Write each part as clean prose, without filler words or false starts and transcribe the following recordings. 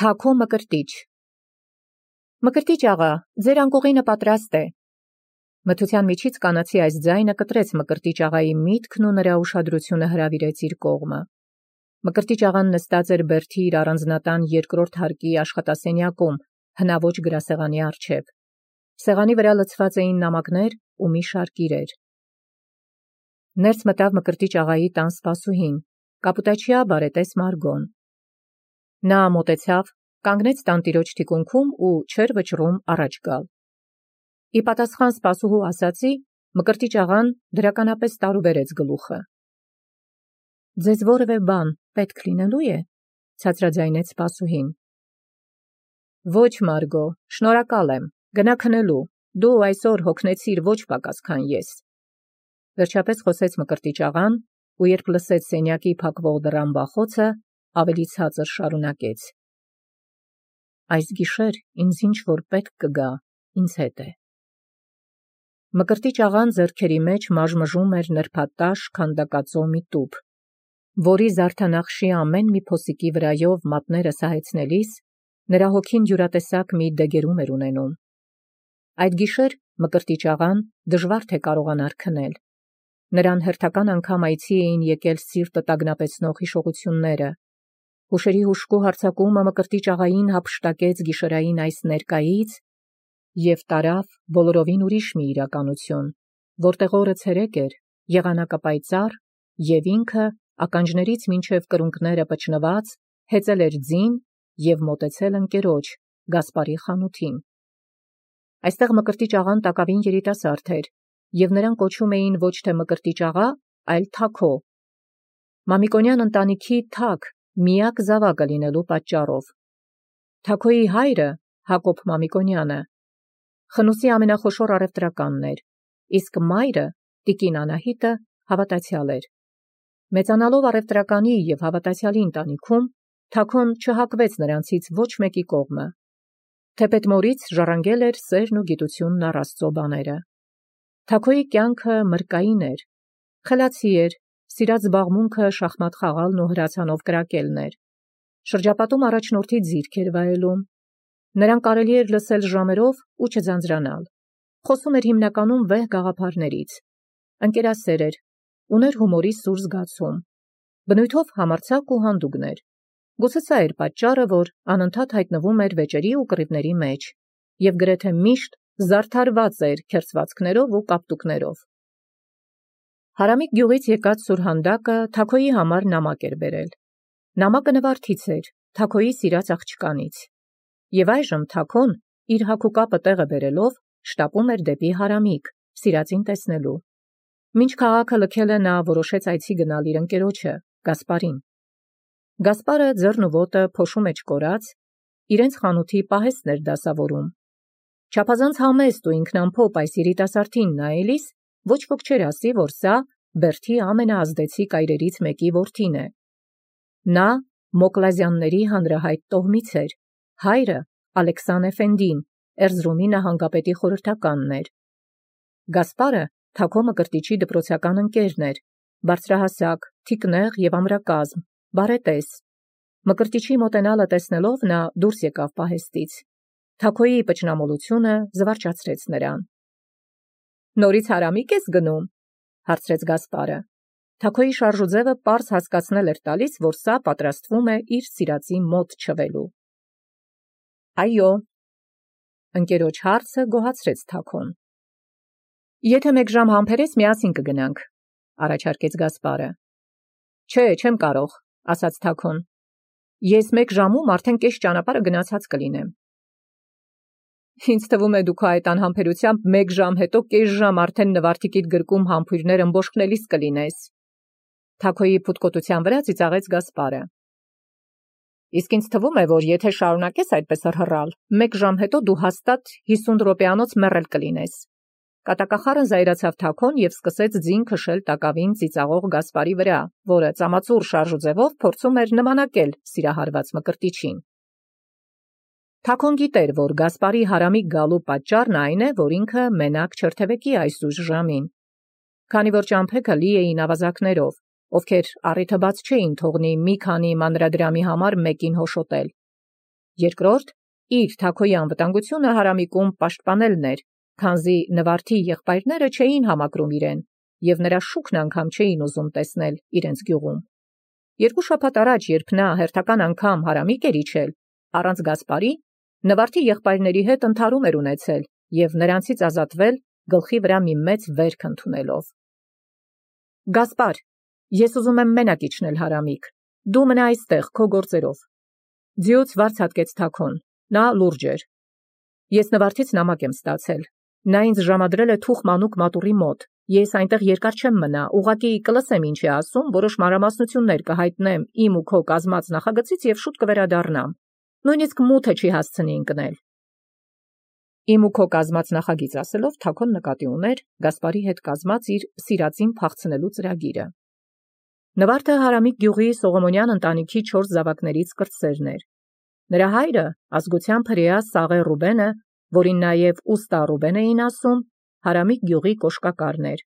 Թաքո Մկրտիչ Մկրտիչ աղա, ձեր անկողինը պատրաստ է։ Մթության միջից կանացի այս ձայնը կտրեց Մկրտիչ աղայի միտքն ու նրա ուշադրությունը հրավիրեց իր կողմը։ Մկրտիչ աղան նստած էր բերդի իր առանձնատան երկրորդ հարկի աշխատասենյակում, հնաոճ գրասեղանի առջև։ Սեղանի վրա լցված էին նամակներ ու մի շարք իրեր։ Ներս մտավ Մկրտիչ աղայի տան սպասուհին, կապուտաչիա բարետես Մարգոն։ Նա մոտեցավ, կանգնեց տանտիրոջ թիկունքում ու չէր վճռում առաջ գալ։ Ի պատասխան սպասուհու ասացի, Մկրտիչ աղան դրականապես տարուբերեց գլուխը։ Ձեզ որևէ բան պետք լինելու է, ցածրաձայնեց սպասուհին։ Ոչ, Մարգո, շնորհակալ եմ, գնա քնելու, դու այսօր հոգնեցիր ոչ պակաս քան ես։ Վերջապես խոսեց Մկրտիչ աղան ու երբ լսեց սենյակի փակվող դռան բախոցը, ավելի ցածր շարունակեց. Այս գիշեր ինձ ինչ-որ պետք կգա, ինձ հետ է։ Մկրտիչ աղան ձեռքերի մեջ մաժմժում էր նրբատաշ քանդակածո մի տուփ, որի զարդանախշի ամեն մի փոսիկի վրայով մատները սահեցնելիս նրա հոգին յուրատեսակ մի դեգերում էր ունենում։ Այդ գիշեր Մկրտիչ աղան դժվար թե կարողանար քնել։ Նրան հերթական անգամ այցի էին եկել սիրտը տագնապեցնող հիշողությունները։ Հուշերի հուշկու հարձակումը Մկրտիչ աղային հափշտակեց գիշերային այս ներկայից և տարավ բոլորովին ուրիշ մի իրականություն, որտեղ օրը ցերեկ էր, եղանակը պայծառ, և ինքը ականջներից մինչև կրունկները պճնված հեծել էր ձին և մոտեցել ընկերոջ Գասպարի խանութին։ Այստեղ Մկրտիչ աղան տակավին երիտասարդ էր, և նրան կոչում էին ոչ թե Մկրտիչ աղա, այլ Թաքո, Մամիկոնյան ընտանիքի թակ, միակ զավակը լինելու պատճառով։ Թաքոյի հայրը, Հակոբ Մամիկոնյանը, խնուսի ամենախոշոր առևտրականն էր, իսկ մայրը, տիկին Անահիտը, հավատացյալ էր։ Մեծանալով առևտրականի և հավատացյալի ընտանիքում, Թաքոն չհակվեց նրանցից ոչ մեկի կողմը։ Թեպետ մորից ժառանգել էր սերն ու գիտությունն առ Աստծո բաները։ Թաքոյի կյանքը մրկային էր, խելացի էր, սիրած զբաղմունքը շախմատ խաղալն ու հրացանով կրակելն էր։ Շրջապատում առաջնորդի ձիրք էր վայելում։ Նրան կարելի էր լսել ժամերով ու չձանձրանալ։ Խոսում էր հիմնականում վեհ գաղափարներից։ Ընկերասեր էր, ուներ հումորի սուր զգացում։ Բնույթով համարձակ ու հանդուգն էր։ Գուցե սա էր պատճառը, որ անընդհատ հայտնվում էր վեճերի ու կռիվների մեջ և գրեթե միշտ զարդարված էր քերծվածքներով ու կապտուկներով։ Հարամիկ գյուղից եկած սուրհանդակը Թաքոյի համար նամակ էր բերել։ Նամակը նվարդից էր, Թաքոյի սիրած աղջկանից։ Եվ այժմ Թաքոն, իր հագուկապը տեղը բերելով, շտապում էր դեպի Հարամիկ, սիրածին տեսնելու։ Մինչ քաղաքը լքելը նա որոշեց այցի գնալ իր ընկերոջը, Գասպարին։ Գասպարը ձեռն ու ոտը փոշու մեջ կորած, իրենց խանութի պահեստն էր դասավորում։ Չափազանց համեստ ու ինքնամփոփ այս երիտասարդին նայելիս ոչ ոք չէր ասի, որ սա բերդի ամենաազդեցիկ այրերից մեկի որդին է։ Նա Մոկլազյանների հանրահայտ տոհմից էր, հայրը Ալեքսան Էֆենդին, Էրզրումի նահանգապետի խորհրդականն էր։ Գասպարը Թաքո Մկրտիչի դպրոցական ընկերն էր, բարձրահասակ, թիկնեղ և ամրակազմ, բարետես։ Մկրտիչի մոտենալը տեսնելով նա դուրս եկավ պահեստից։ Թաքոյի պճնամոլությունը զվարճացրեց նրան։ Նորից Հարամիկ ես գնում, հարցրեց Գասպարը։ Թաքոյի շարժուձևը պարզ հասկացնել էր տալիս, որ սա պատրաստվում է իր սիրածի մոտ չվելու։ Այո։ Ընկերոջ հարցը գոհացրեց Թաքոն։ Եթե 1 ժամ համբերես, միասին կգնանք, առաջարկեց Գասպարը։ Չէ, չեմ կարող, ասաց Թաքոն։ Ես 1 ժամում արդեն կես ճանապարհը գնացած կլինեմ։ Ինձ թվում է դու քո այդ անհամբերությամբ 1 ժամ հետո կես ժամ արդեն նվարդիկիդ գրկում համբույրներ ըմբոշխնելիս կլինես։ Թաքոյի փութկոտության վրա ծիծաղեց Գասպարը։ Իսկ ինձ թվում է, որ եթե շարունակես այդպես հռհռալ, 1 ժամ հետո դու հաստատ 50 րոպեանոց մեռել կլինես։ Կատակախառն զայրացավ Թաքոն և սկսեց ձին քշել տակավին ծիծաղող Գասպարի վրա, որը ծամածուռ շարժուձևով փորձում էր նմանակել սիրահարված Մկրտիչին։ Թաքոն գիտեր, որ Գասպարի Հարամիկ գալու պատճառն այն է, որ ինքը մենակ չրթևեկի այսուժ ժամին, քանի որ ճամփեքը լի էին ավազակներով, ովքեր առիթը բաց չէին թողնի մի քանի մանրադրամի համար մեկին հոշոտել։ Երկրորդ, իր թագոյի անվտանգությունը Հարամիկում պաշտպանելն էր, քանզի նվարդի եղբայրները չէին համակրում իրեն, եւ նրա շուքն անգամ չէին ուզում տեսնել իրենց գյուղում։ 2 շաբաթ առաջ, երբ նա հերթական անգամ Հարամիկ էր իջել, առանց Գասպարի, նվարդի եղբայրների հետ ընդհարում էր ունեցել եւ նրանցից ազատվել գլխի վրա մի մեծ վերք ընդունելով։ Գասպար, ես ուզում եմ մենակ իջնել Հարամիկ, դու մնա այստեղ քո գործերով։ Ձիուց վարձ հատկեց Թաքոն, նա լուրջ էր։ Ես նվարդից նամակ եմ ստացել, նա ինձ ժամադրել է թուխ մանուկ մատուռի մոտ, ես այնտեղ երկար չեմ մնա, ուղղակի կլսեմ ինչ է ասում, որոշ մանրամասնություններ կհայտնեմ իմ ու քո կազմած նախագծից եւ շուտ կվերադառնամ, նույնիսկ մութը չի հասցնի ընկնել։ Իմ ու քո կազմած նախագիծ ասելով Թաքոն նկատի ուներ Գասպարի հետ կազմած իր սիրածին փախցնելու ծրագիրը։ Նվարդը Հարամիկ գյուղի Սողոմոնյան ընտանիքի 4 զավակներից կրտսերն էր։ Նրա հայրը ազգությամբ հրեա Սաղե Ռուբենը, որին նաև Ուստա Ռուբեն էին ասում, Հարամիկ գյուղի կոշկակարն էր։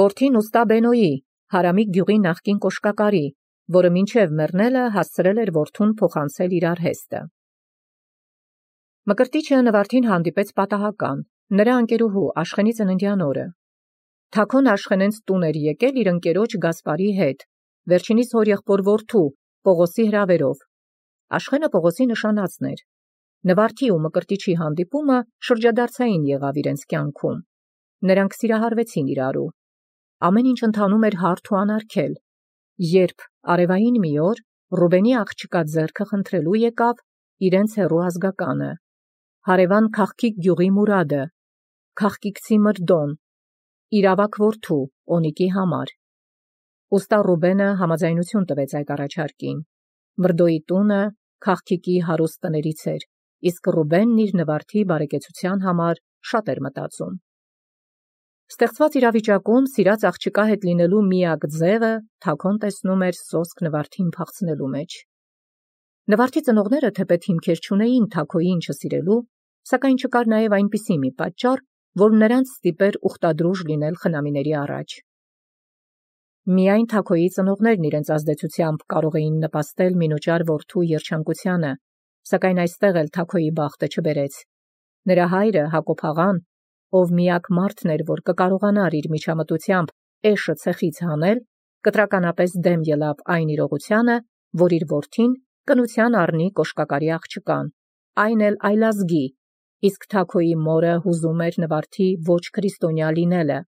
Որդին Ուստա Բենոյի, Հարամիկ գյուղի նախկին կոշկակարի, որը մինչև մեռնելը հասցրել էր որդուն փոխանցել իր արհեստը։ Մկրտիչը նվարդին հանդիպեց պատահական, նրա ընկերուհու Աշխենի ծննդյան օրը։ Թաքոն Աշխենենց տուն էր եկել իր ընկերոջ Գասպարի հետ, վերջինիս հորեղբոր որդու Պողոսի հրավերով։ Աշխենը Պողոսի նշանածն էր։ Նվարդի ու մկրտիչի հանդիպումը շրջադարձային եղավ իրենց կյանքում։ Նրանք սիրահարվեցին իրարու։ Ամեն ինչ ընթանում էր հարթ ու անարգել, երբ արևային մի օր Ռուբենի աղջկա ձեռքը խնդրելու եկավ իրենց հեռու ազգականը, հարևան Քաղքիկ գյուղի Մուրադը, քաղկիկցի Մրդոն, իր ավագ որդու Օնիկի համար։ Ուստա Ռուբենը համաձայնություն տվեց այդ առաջարկին։ Մրդոյի տունը Քաղքիկի հարուստ տներից էր, իսկ Ռուբենն իր նվարդի բարեկեցության համար շատ էր մտածում։ Ստեղծված իրավիճակում սիրած աղջկա հետ լինելու միակ ձևը Թաքոն տեսնում էր սոսկ նվարդին փախցնելու մեջ։ Նվարդի ծնողները թեպետ հիմքեր չունեին Թաքոյին չսիրելու, սակայն չկար նաև այնպիսի մի պատճառ, որ նրանց ստիպեր ուխտադրուժ լինել խնամիների առաջ։ Միայն Թաքոյի ծնողներն իրենց ազդեցությամբ կարող էին նպաստել մինուճար որդու երջանկությանը, սակայն այստեղ էլ Թաքոյի բախտը չբերեց։ Նրա հայրը Հակոբ աղան, ով միակ մարդն էր, որ կկարողանար իր միջամտությամբ էշը ցեխից հանել, կտրականապես դեմ ելավ այն իրողությանը, որ իր որդին կնության առնի կոշկակարի աղջկան, այն էլ այլազգի, իսկ Թաքոյի մորը հուզում էր նվարդի ոչ քրիստոնյա լինելը։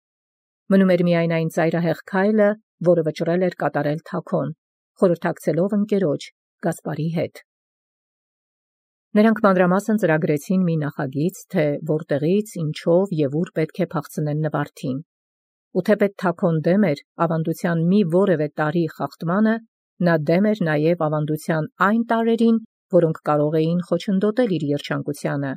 Մնում էր միայն այն ծայրահեղ քայլը, որը վճռել էր կատարել Թաքոն, խորհրդակցելով ընկերոջ Գասպարի հետ։ Նրանք մանրամասն ծրագրեցին մի նախագիծ, թե որտեղից, ինչով եւ ուր պետք է փախցնեն նվարդին։ Ու թեպետ Թաքոն դեմ էր ավանդության մի որևէ տարի խախտմանը, նա դեմ էր նաև ավանդության այն տարրերին, որոնք կարող էին խոչընդոտել իր երջանկությանը,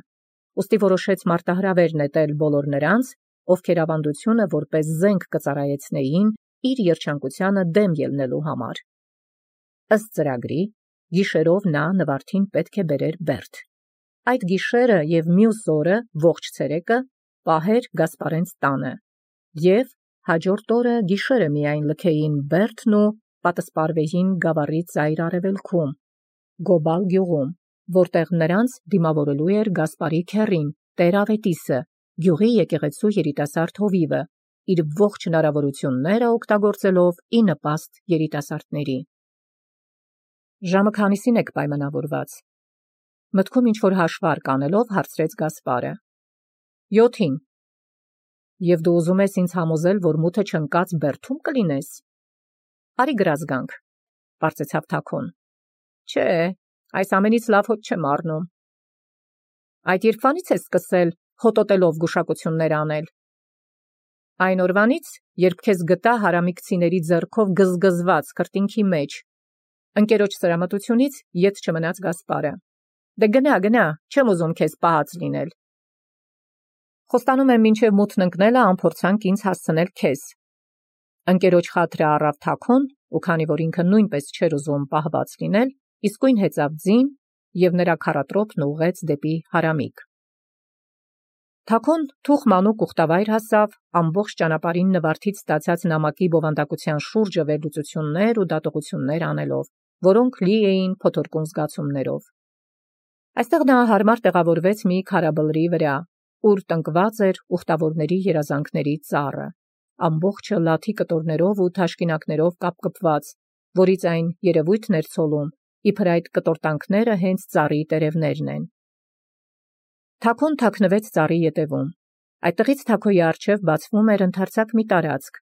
ուստի որոշեց մարտահրավեր նետել բոլոր նրանց, ովքեր ավանդությունը որպես զենք կծառայեցնեին իր երջանկությանը դեմ ելնելու համար։ Ըստ ծրագրի, գիշերով նա նվարդին պետք է բերեր Բերդ։ Այդ գիշերը եւ մյուս օրը ողջ ցերեկը պահեր Գասպարենց տանը, եւ հաջորդ օրը գիշերը միայն լքեին Բերդն ու պատսպարվեին գավառի ծայր արևելքում, Գոբալ գյուղում, որտեղ նրանց դիմավորելու էր Գասպարի քեռին, Տեր Ավետիսը, գյուղի եկեղեցու երիտասարդ հովիվը, իր ողջ հնարավորությունները օգտագործելով ի նպաստ երիտասարդների։ Ժամը քանիսին եք պայմանավորված։ Մտքում ինչ-որ հաշվարկ անելով հարցրեց Գասպարը։ 7-ին։ Եվ դու ուզում ես ինձ համոզել, որ մութը չընկած Բերդում կլինես։ Արի գրած գանք, պարծեցավ Թաքոն։ Չէ, այս ամենից լավ հոտ չեմ առնում։ Այդ երբվանից ես սկսել հոտոտելով գուշակություններ անել։ Այն օրվանից, երբ քեզ գտա հարամիկցիների ձեռքով գզգզված քրտինքի մեջ, ընկերոջ սրամտությունից ետ չմնաց Գասպարը։ Դե գնա, չեմ ուզում քեզ պահած լինել։ Խոստանում եմ մինչև մութն ընկնելը անփորձանք ինձ հասցնել քեզ։ Ընկերոջ խաթրը առավ Թաքոն, ու քանի որ ինքը նույնպես չէր ուզում պահված լինել, իսկույն հեծավ ձին եւ նրա քառատրոփն ուղղեց դեպի Հարամիկ։ Թաքոն թուխ մանուկ ուխտավայր հասավ, ամբողջ ճանապարհին նվարդից ստացած նամակի բովանդակության շուրջը վերլուծություններ ու դատողություններ անելով, որոնք լի էին փոթորկուն զգացումներով։ Այստեղ նա հարմար տեղավորվեց մի քարաբլրի վրա, ուր տնկված էր ուխտավորների երազանքների ծառը, ամբողջը լաթի կտորներով ու թաշկինակներով կապկպված, որից այն երևույթն էր ցոլում, իբր այդ կտորտանքները հենց ծառի տերևներն են։ Թաքոն թաքնվեց ծառի ետևում։ Այդտեղից Թաքոյի առջև բացվում էր ընդարձակ մի տարածք։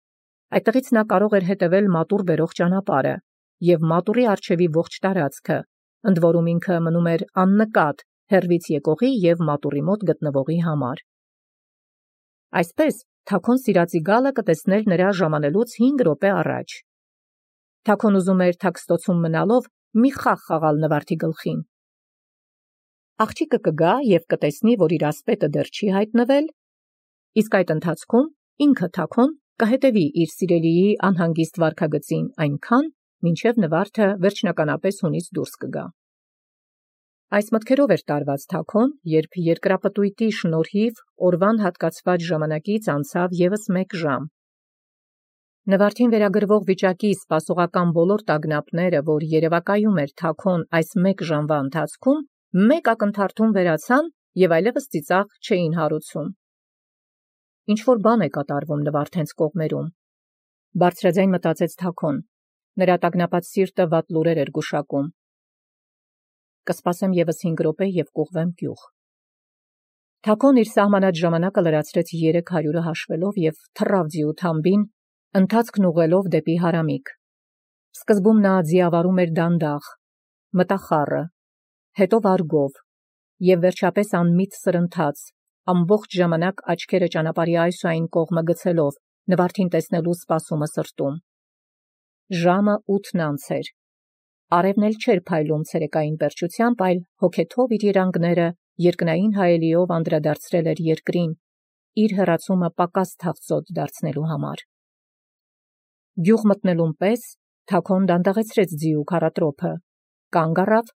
Այդտեղից նա կարող էր հետևել մատուռ բերող ճանապարհը և մատուռի առջևի ողջ տարածքը, ընդ որում ինքը մնում էր աննկատ հեռվից եկողի և մատուռի մոտ գտնվողի համար։ Այսպես Թաքոն սիրածի գալը կտեսներ նրա ժամանելուց 5 րոպե առաջ։ Թաքոն ուզում էր թաքստոցում մնալով մի խաղ խաղալ նվարդի գլխին։ Աղջիկը կգա և կտեսնի, որ իր ասպետը դեռ չի հայտնվել, իսկ այդ ընթացքում ինքը Թաքոն կհետևի իր սիրելիի անհանգիստ վարքագծին այնքան, մինչև նվարդը վերջնականապես հունից դուրս կգա։ Այս մտքերով էր տարված Թաքոն, երբ երկրապտույտի շնորհիվ օրվան հատկացված ժամանակից անցավ ևս 1 ժամ։ Նվարդին վերագրվող վիճակի սպասողական բոլոր տագնապները, որ երևակայում էր Թաքոն այս 1 ժամվա ընթացքում, մեկ ակնթարթում վերացան և այլևս ծիծաղ չէին հարուցում։ Ինչ-որ բան է կատարվում նվարդենց կողմերում, բարձրաձայն մտածեց Թաքոն, նրա տագնապած սիրտը վատ լուրեր էր գուշակում։ Կսպասեմ ևս 5 րոպե և կուղղվեմ գյուղ։ Թաքոն իր սահմանած ժամանակը լրացրեց 300-ը հաշվելով և թռավ ձիու թամբին, ընթացքն ուղղելով դեպի հարամիկ։ Սկզբում նա ձիավարում էր դանդաղ, մտախառը, հետո վարգով և վերջապես անմիտ սրընթաց, ամբողջ ժամանակ աչքերը ճանապարհի այս ու այն կողմը գցելով, նվարդին տեսնելու սպասումը սրտում։ Ժամը 8-ն անց էր։ Արևն էլ չէր փայլում ցերեկային պերճությամբ, այլ հոգեթով իր երանգները երկնային հայելիով անդրադարձրել էր երկրին, իր հեռացումը պակաս թավծոտ դարձնելու համար։ Գյուղ մտնելուն պես Թաքոն դանդաղեցրեց ձիու քառատրոփը, կանգ առավ,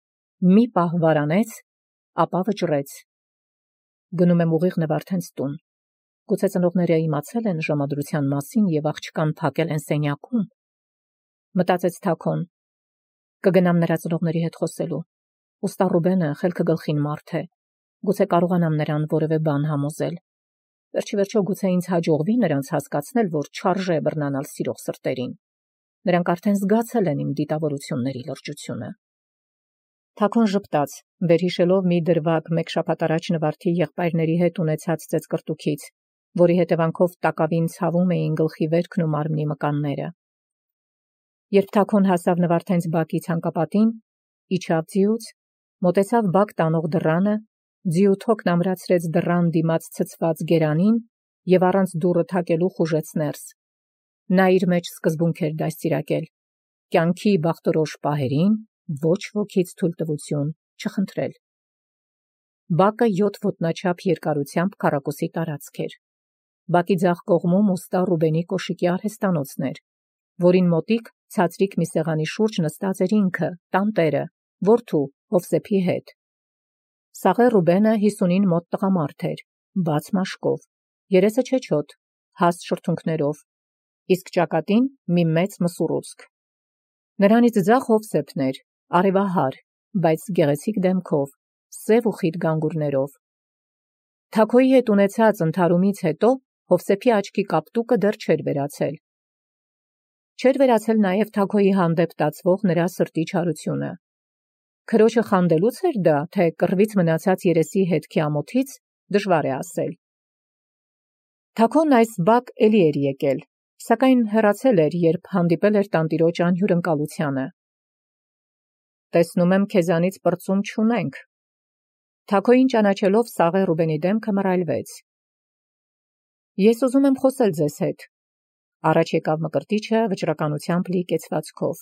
մի պահ վարանեց, ապա վճռեց։ Գնում եմ ուղիղ նվարդենց տուն։ Գուցե ծնողները իմացել են ժամադրության մասին և աղջկան փակել են սենյակում, մտածեց Թաքոն։ Կգնամ նրա ծնողների հետ խոսելու։ Ուստա Ռուբենը խելքը գլխին մարդ է, գուցե կարողանամ նրան որևէ բան համոզել։ Վերջիվերջո գուցե ինձ հաջողվի նրանց հասկացնել, որ չարժե բռնանալ սիրող սրտերին։ Նրանք արդեն զգացել են իմ դիտավորությունների լրջությունը։ Թաքոն ժպտաց, վերհիշելով մի դրվագ 1 շաբաթ առաջ նվարդի եղբայրների հետ ունեցած ծեծկռտուքից, որի հետևանքով տակավին ցավում էին գլխի վերքն ու մարմնի մկանները։ Երբ Թաքոն հասավ նվարդենց բակի ցանկապատին, իջավ ձիուց, մոտեցավ բակ տանող դռանը, ձիու թոքն ամրացրեց դռան դիմաց ցցված գերանին և առանց դուռը թակելու խուժեց ներս։ Նա իր մեջ սկզբունք էր դաստիարակել. կյանքի բախտորոշ պահերին ոչ ոքից թույլտվություն չխնդրել։ Բակը 7 ոտնաչափ երկարությամբ քառակուսի տարածք էր։ Բակի ձախ կողմում ուստա Ռուբենի կոշիկի արհեստանոցն էր, որին մոտիկ ցածրիկ մի սեղանի շուրջ նստած էր ինքը, տանտերը, որդու Հովսեփի հետ։ Սաղե Ռուբենը 50-ին մոտ տղամարդ էր, բաց մաշկով, երեսը չեչոտ, հաստ շրթունքներով, իսկ ճակատին մի մեծ մսուռուցք։ Նրանից ձախ Հովսեփն էր, արևահար, բայց գեղեցիկ դեմքով, սև ու խիտ գանգուրներով։ Թաքոյի հետ ունեցած ընդհարումից հետո Հովսեփի աչքի կապտուկը դեռ չէր վերացել։ Չէր վերացել նաև Թաքոյի հանդեպ տածվող նրա սրտի չարությունը։ Քրոջը խանդելուց էր դա, թե կռվից մնացած երեսի հետքի ամոթից, դժվար է ասել։ Թաքոն այս բակ էլի էր եկել, սակայն հեռացել էր, երբ հանդիպել էր տանտիրոջ անհյուրընկալությանը։ Տեսնում եմ, քեզանից պրծում չունենք։ Թաքոյին ճանաչելով Սաղե Ռուբենի դեմքը մռայլվեց։ Ես ուզում եմ խոսել ձեզ հետ։ Առաջ եկավ Մկրտիչը վճռականությամբ լի կեցվածքով։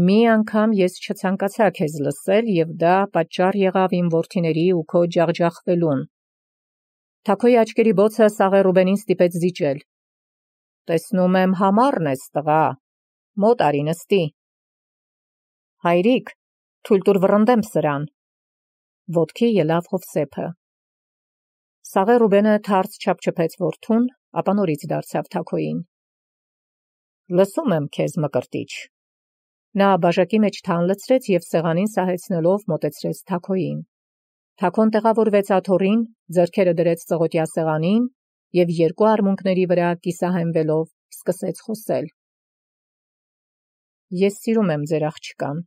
Մի անգամ ես չցանկացա քեզ լսել և դա պատճառ եղավ իմ որդիների ու քո ջախջախվելուն։ Թաքոյի աչքերի բոցը Սաղե Ռուբենին ստիպեց զիջել։ Տեսնում եմ համառն ես, տղա, մոտ արի նստի։ Հայրիկ, թույլ տուր վռնդեմ սրան։ Ոտքի ելավ Հովսեփը։ Սաղե Ռուբենը թարց չափչփեց որդուն, ապա նորից դարձավ Թաքոյին։ Լսում եմ քեզ, Մկրտիչ։ Նա բաժակի մեջ թան լցրեց և սեղանին սահեցնելով մոտեցրեց Թաքոյին։ Թաքոն տեղավորվեց աթոռին, ձեռքերը դրեց ծղոտյա սեղանին և երկու արմունկների վրա կիսահենվելով սկսեց խոսել. «Ես սիրում եմ ձեր աղջկան»։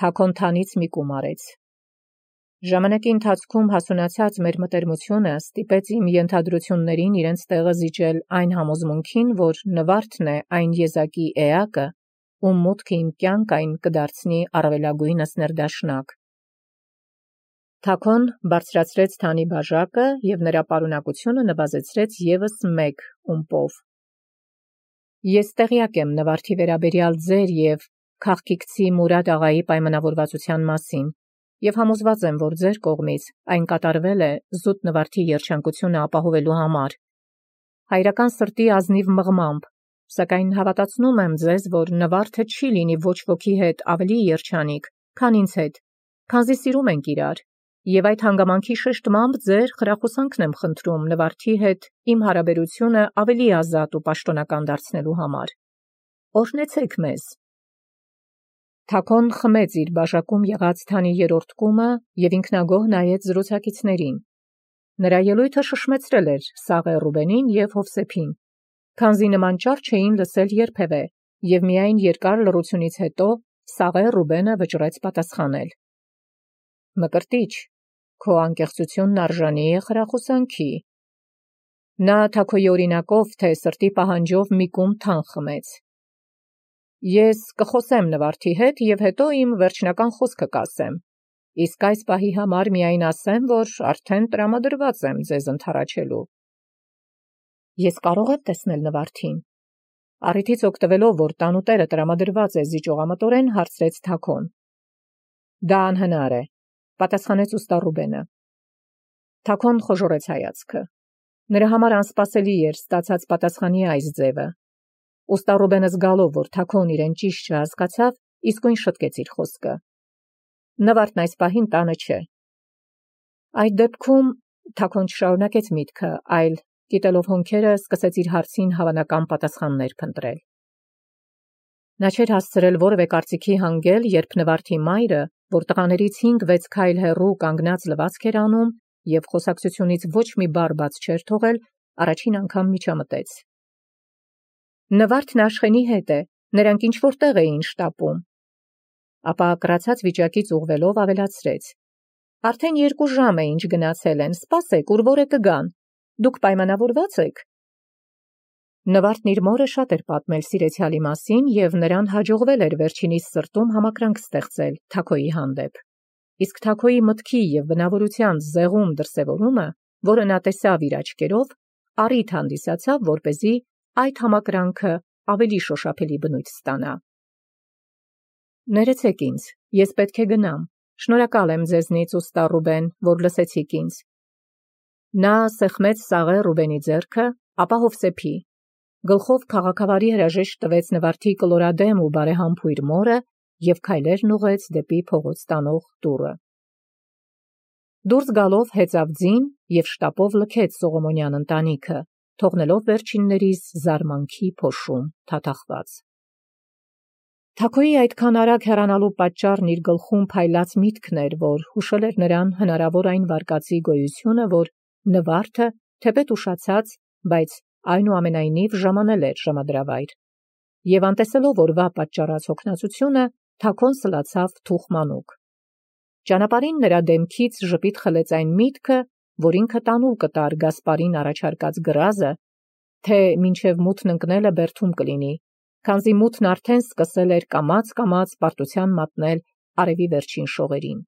Թաքոն թանից մի կում արեց։ Ժամանակի ընթացքում հասունացած մեր մտերմությունը ստիպեց իմ ենթադրություններին իրենց տեղը զիջել այն համոզմունքին, որ Նվարդն է այն եզակի էակը, ում մուտքը իմ կյանք այն կդարձնի առավելագույնս ներդաշնակ։ Թաքոն բարձրացրեց թանի բաժակը և նրա պարունակությունը նվազեցրեց ևս մեկ ումպով։ Ես տեղյակ եմ Նվարդի վերաբերյալ ձեր և քաղկիքցի Մուրադ աղայի պայմանավորվածության մասին և համոզված եմ, որ ձեր կողմից այն կատարվել է զուտ Նվարդի երջանկությունը ապահովելու համար, հայրական սրտի ազնիվ մղմամբ, սակայն հավատացնում եմ ձեզ, որ Նվարդը չի լինի ոչ ոքի հետ ավելի երջանիկ, քան ինձ հետ, քանզի սիրում ենք իրար, և այդ հանգամանքի շեշտմամբ ձեր խրախուսանքն եմ խնդրում Նվարդի հետ իմ հարաբերությունը ավելի ազատ ու պաշտոնական դարձնելու համար։ Օրհնեցեք մեզ։ Թաքոն խմեց իր բաժակում եղած թանի երրորդ կումը և ինքնագոհ նայեց զրուցակիցներին։ Նրա ելույթը շշմեցրել էր Սաղե Ռուբենին և Հովսեփին, քանզի նման ճառ չէին լսել երբևէ, և միայն երկար լռությունից հետո Սաղե Ռուբենը վճռեց պատասխանել. «Մկրտիչ, քո անկեղծությունն արժանի է խրախուսանքի»։ Նա Թաքոյի օրինակով, թե սրտի պահանջով մի կում թան խմեց։ «Ես կխոսեմ Նվարդի հետ և հետո իմ վերջնական խոսքը կասեմ, իսկ այս պահի համար միայն ասեմ, որ արդեն տրամադրված եմ ձեզ ընդառաջելու»։ «Ես կարող եմ տեսնել Նվարդին»։ Առիթից օգտվելով, որ տանուտերը տրամադրված է զիջողամտորեն, հարցրեց Թաքոն։ «Դա անհնար է», պատասխանեց ուստա Ռուբենը։ Թաքոն խոժոռեց հայացքը։ Նրա համար անսպասելի էր ստացած պատասխանի այս ձևը։ Ուստա Ռուբենը զգալով, որ Թաքոն իրեն ճիշտ չհասկացավ, իսկույն շտկեց իր խոսքը։ «Նվարդն այս պահին տանը չէ»։ Այդ դեպքում Թաքոն չշարունակեց միտքը, այլ, կիտելով հոնքերը, սկսեց իր հարցին հավանական պատասխաններ փնտրել։ Նա չէր հասցրել որևէ կարծիքի հանգել, երբ Նվարդի մայրը, որ տղաներից 5-6 քայլ հեռու կանգնած լվացք էր անում և խոսակցությունից ոչ մի բառ բաց չէր թողել, առաջին անգամ միջամտեց։ «Նվարդն Աշխենի հետ է, նրանք ինչ-որ տեղ էին շտապում»։ Ապա կրացած վիճակից ուղղվելով ավելացրեց. «Արդեն 2 ժամ է ինչ գնացել են, սպասեք, ուր որ է կգան, դուք պայմանավորված եք»։ Նվարդն իր մորը շատ էր պատմել սիրեցյալի մասին և նրան հաջողվել էր վերջինիս սրտում համակրանք ստեղծել Թաքոյի հանդեպ, իսկ Թաքոյի մտքի և բնավորության զեղում դրսևորումը, որը նա տեսավ իր աչքերով, առիթ հանդիսացավ, որպեսզի այդ համակրանքը ավելի շոշափելի բնույթ ստանա։ «Ներեցեք ինձ, ես պետք է գնամ, շնորհակալ եմ ձեզնից, ուստա Ռուբեն, որ լսեցիք ինձ»։ Նա սեղմեց Սաղե Ռուբենի ձեռքը, ապա Հովսեփի, գլխով քաղաքավարի հրաժեշտ տվեց Նվարդի կլորադեմ ու բարեհամբույր մորը և քայլերն ուղղեց դեպի փողոց տանող դուռը։ Դուրս գալով հեծավ ձին և շտապով լքեց Սողոմոնյան ընտանիքը, թողնելով վերջիններիս զարմանքի փոշում թաթախված։ Թաքոյի այդքան արագ հեռանալու պատճառն իր գլխում փայլած միտքն էր, որ հուշել էր նրան հնարավոր այն վարկածի գոյությունը, որ Նվարդը, թեպետ ուշացած, բայց այնուամենայնիվ ժամանել էր ժամադրավայր։ Եվ անտեսելով օրվա պատճառած հոգնածությունը, Թաքոն սլացավ թուխմանուկ։ Ճանապարհին նրա դեմքից ժպիտ խլեց այն միտքը, որ ինքը տանուլ կտար Գասպարին առաջարկած գրազը, թե մինչև մութն ընկնելը բերդում կլինի, քանզի մութն արդեն սկսել էր կամաց-կամաց պարտության մատնել արևի վերջին շողերին։